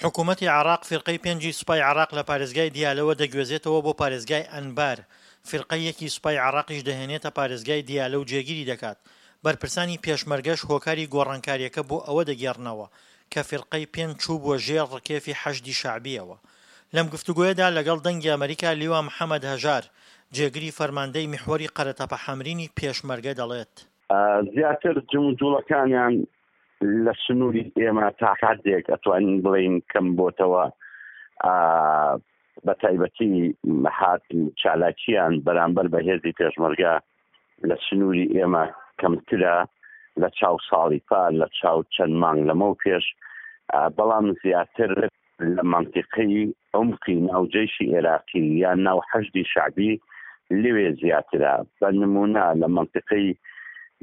حکوومەتی عێراق فیرقەی پێنجی سوپای عێراق لە پارێزگای دیالەوە دەگوێزێتەوە بۆ پارێزگای ئەنبار، فیرقەی یەکی سوپای عێراقیش دەهێنێتە پارێزگای دیالە و جێگیری دەکات، بەرپرسانی پێشمەرگەش هۆکاری گۆڕانکارییەکە بۆ ئەوە دەگێڕنەوە کە فیرقەی پێنج چووبووە ژێر ڕکێفی حەشدی شەعبییەوە. لەم گفتوگۆیەدا لەگەڵ دەنگی ئەمەریکا لیوا محەمەد هەژار، جێگری فەرماندەی میحوەری قەرەتەپە حەمرینی پێشمەرگە دەڵێت. زیاتر جموجوڵەکانیان لە سنووری ئێمە تا حدێک ئەتوانین بڵین کەم بۆتەوە بە تایبەتی هات چالاکیان بەرامبەر بە هێزی پێشمەرگە لە سنووری ئێمە کەمترە لە چاو ساڵی پار لە چاو چەند مانگ لەمەو پێش بەڵام زیاتر لە مەنتیقەی عومقی ناو جەیشی ئێراقی یان ناو حەشدی شەعبی لەوێ زیاترە بە نموونە لە مەنتیقەی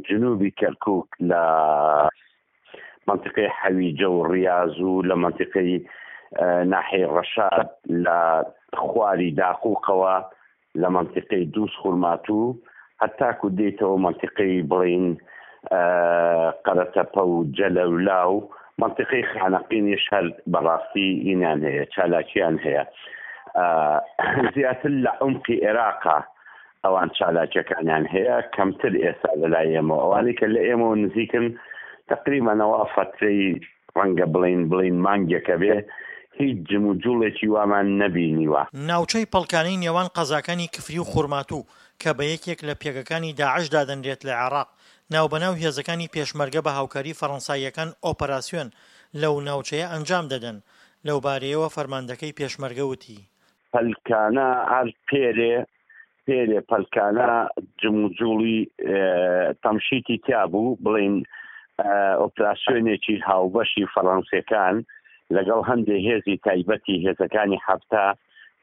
جنوبی کەرکوک لە مەنتیقەی حەویجە و ڕیاز و لە مەنتیقەی ناحیەی ڕەشاد لە خواری داقوقەوە لە مەنتیقەی دووز خورماتوو هەتاکو دێیتەوە مەنتیقەی بڵێین قەرەتەپە و جەلەولا و مەنتیقەی خانەقینیش هەر بەڕاستی ئینیان هەیە چالاکیان هەیە زیاتر لە عمقی عێراقا ئەوان چالاکیەکانیان هەیە کەمتر ئێستا لەلای ئێمەوە ئەوانەی کە لە ئێمەوە نزیکن تقریبانەوە فەترەی ڕەنگە بڵێین بڵێین مانگێکە بێ هیچ جموجوڵێکی وامان نەبینیوە. ناوچەی پەڵکانەی نێوان قەزاکانی کفری و خورماتوو کە بە یەکێک لە پێگەکانی داعش دادەنرێت لە عێراق، ناوبەناو هێزەکانی پێشمەرگە بە هاوکاری فەرەنساییەکان ئۆپەراسیۆن لەو ناوچەیە ئەنجام دەدەن، لەوبارەیەوە فەرماندەکەی پێشمەرگە وتی. پەلکانە هەر پێرێ پێرێ پەلکانە جموجوڵی تەمشیتی تیا بوو بڵین ئۆپراسیۆنێکی هاوبەشی فەڕەنسیەکان لەگەڵ هەندێ هێزی تایبەتی هێزەکانی حەفتا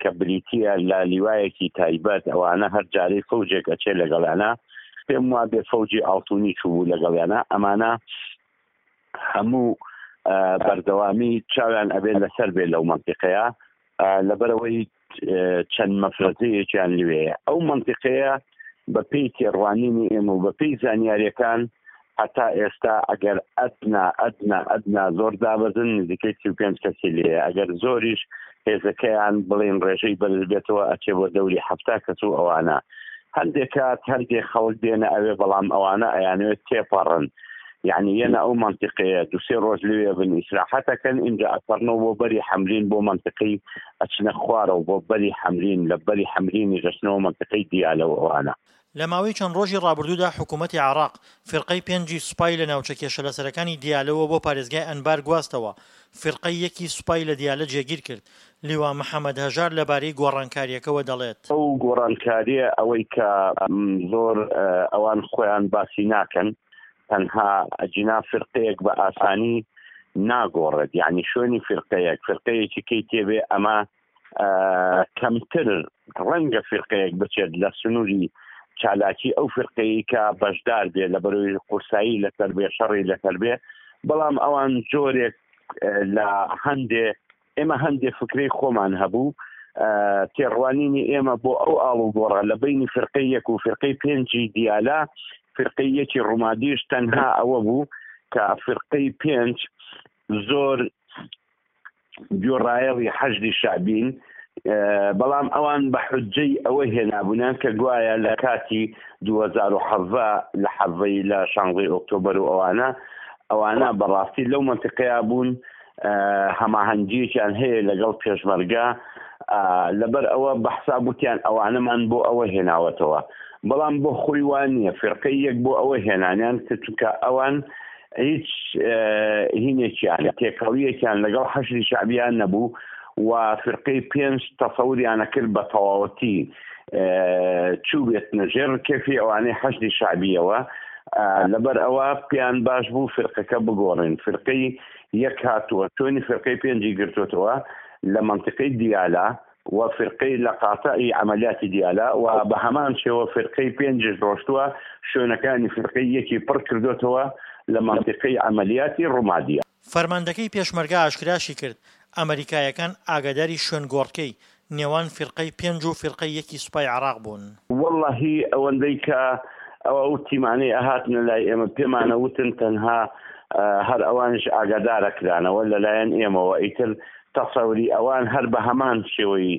کە بریتە لە لیوایەکی تایبەت ئەوانە هەر جارەی فەوجێک ئەچێ لەگەڵیانە پێم وابێ فەوجی ئاڵتونی چوو لەگەڵیانە ئەمانە هەموو بەردەوامی چاویان ئەبێت لەسەر بێ لەو منتیقەیە لەبەرەوەی چەند مەفرەزەیەکیان لوێیە ئەو منتیقەیە بە پێی تێڕوانینی ئێمە و بە پێی زانیاریەکان هەتا ئێستا ئەگەر ئەدنا ئەدنا ئەدنا زۆر دابەزن نزیکەی 35 کەسی لێیە ئەگەر زۆریش هێزەکەیان بڵێن ڕێژەی بەرز بێتەوە ئەچێ بۆ دەوری حەفتا کەس و ئەوانە هەندێک کات هەندێک خەڵک دێنە ئەوێ بەڵام ئەوانە ئەیانەوێت تێپەڕن یعنی یەنە ئەو منتیقەیە دوسێ ڕۆژ لەوێ بن ئیسراحەتەکەن ئینجا ئەپەڕنەوە بۆ بەری حەمرین بۆ منتیقەی ئەچنە خوارەوە بۆ بەری حەمرین لە بەری حەمرینیش ئەچنەوە منتیقەی دیالە و ئەوانە. لە ماوەی چەند ڕۆژی ڕابردوودا حکوومەتی عێراق فیرقەی پێنجی سوپای لە ناوچە کێشەلەسەرەکانی دیالەوە بۆ پارێزگای ئەنبار گواستەوە، فیرقەی یەکی سوپای لە دیالە جێگیر کرد. لیوا محەمەد هەژار لەبارەی گۆڕانکارییەکەوە دەڵێت. ئەو گۆڕانکارییە ئەوەی کە زۆر ئەوان خۆیان باسی ناکەن تەنها ئەگینا فیرقەیەک بە ئاسانی ناگۆڕێت یعنی شوێنی فیرقەیەک فیرقەیەکی کەی تێبێ ئەمە کەمتر ڕەنگە فیرقەیەک بچێت لە سنووری چالاکی ئەو فرقەیە کە بەشدار بێ لە بەرەوەی قورسایی لەسەر بێ شەڕی لەسەر بێ بەڵام ئەوان جۆرێک لە هەندێ ئێمە هەندێ فکرەی خۆمان هەبوو تێڕوانینی ئێمە بۆ ئەو ئاڵوگۆڕە لە بینی فرقەی یەک و فرقەی پێنجی دیالە فرقەی یەکی ڕومادیش تەنها ئەوە بوو کە فرقەی پێنج زۆر گوێڕایەڵی حەشدی شەعبین، بەڵام ئەوان بە حوججەی ئەوە هێنابوونیان کە گوایە لە کاتی 2017 لە حەڤەی لە شانزەی ئۆکتۆبەر و ئەوانە ئەوانە بەڕاستی لەو مەنتیقەیە بوون هەماهەنگیەکیان هەیە لەگەڵ پێشمەرگە لەبەر ئەوە بە حساب وتیان ئەوانەمان بۆ ئەوە هێناوەتەوە بەڵام بۆ خۆی وان نییە فرقەی یەک بۆ ئەوە هێنانیان کە چونکە ئەوان هیچ هینێکیان تێکەڵیەکیان لەگەڵ حەشدی شەعبیان نەبوو و فرقەی پێنج تەسەوریانە کرد بە تەواوەتی چووبێتنە ژێر ڕکێفی ئەوانەی حەشدی شەعبیەوە لەبەر ئەوە پێیان باش بوو فرقەکە بگۆڕین فرقەی یەک هاتووە شوێنی فرقەی پێنجی گرتوتەوە لە منتیقەی دیالە و فیرقەی لە قاتعی عەمەلیاتی دیالە و بە هەمان شێوە فیرقەی پێنجیش ڕۆشتووە شوێنەکانی فیرقەی یەکی پڕ کردۆتەوە لە مەنتیقەی عەمەلیاتی ڕومادیە. فەرماندەکەی پێشمەرگە ئاشکراشی کرد، ئەمەریکایەکان ئاگاداری شوێنگۆڕکێی نێوان فیرقەی پێنج و فیرقەی یەکی سوپای عێراق بوون. وەڵاهی ئەوەندەی کە ئەو تیمانەی ئەهاتنە لای ئێمە پێمانەوتن تەنها هەر ئەوانیش ئاگادارەکرانەوە لەلایەن ئێمەوە ئیتر. تەسەوری ئەوان هەر بە هەمان شێوەی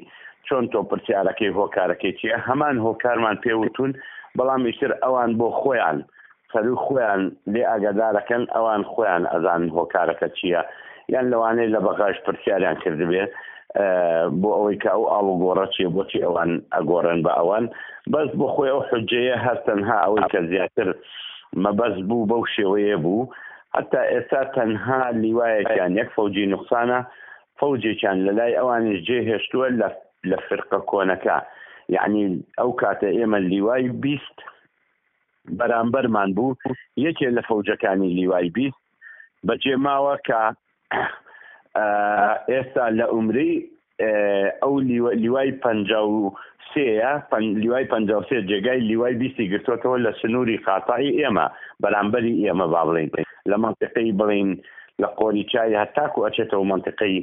چۆن تۆ پرسیارەکەی هۆکارەکەی چیە هەمان هۆکارمان پێ وتون بەڵام ئیتر ئەوان بۆ خۆیان سەروی خۆیان لێ ئاگادارەکەن ئەوان خۆیان ئەزانن هۆکارەکە چیە یان لەوانەیە لە بەغاش پرسیاریان کردبێ بۆ ئەوەی کە ئەو ئاڵوگۆڕە چیە بۆچی ئەوان ئەگۆڕێن بە ئەوان بەس بۆ خۆی ئەو حجەیە هەر تەنها ئەوەی کە زیاتر مەبەست بوو بەو شێوەیە بوو هەتا ئێستا تەنها لیوایەکیان یەک فەوجی نوقسانە فەوجێکیان لە لای ئەوانیش جێ هێشتووە لە لە فرقە کۆنەکە یعنی ئەو کاتە ئێمە لیوای 20 بەرامبەرمان بوو یەکێ لە فەوجەکانی لیوای 20 بەجێ ماوە کە ئێستا لە عومرەی ئەو لیوای 53یە، لیوای 53 جێگای لیوای بیستی گرتۆتەوە لە سنووری قاتعی ئێمە، بەرامبەری ئێمە با بڵێین لە مەنتیقەی بڵێین لە قۆری چای هەتاکو ئەچێتەوە مەنتیقەی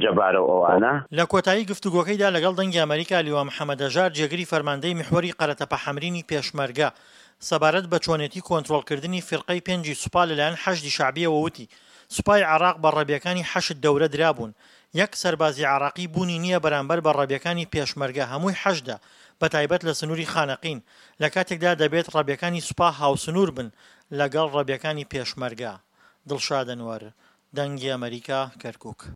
جەبارە و ئەوانە. لە کۆتایی گفتوگۆکەیدا لەگەڵ دەنگی ئەمەریکا لیوا محەمەد هەژار جێگری فەرماندەی میحوەری قەرەتەپە حەمرینی پێشمەرگە سەبارەت بە چۆنێتی کۆنترۆڵکردنی فیرقەی پێنجی سوپا لەلایەن حەشدی شەعبیەوە وتی سوپای عێراق بە ڕەبیەکانی حەشد دەورە درابوون یەک سەربازی عێراقی بوونی نییە بەرامبەر بە ڕەبیەکانی پێشمەرگە هەمووی حەشدە بەتایبەت لە سنووری خانەقین لەکاتێکدا دەبێت ڕەبیەکانی سوپا هاوسنوور بن لەگەڵ ڕەبیەکانی پێشمەرگە. دڵشاد ئەنوەر، دەنگی ئەمەریکا، کەرکوک.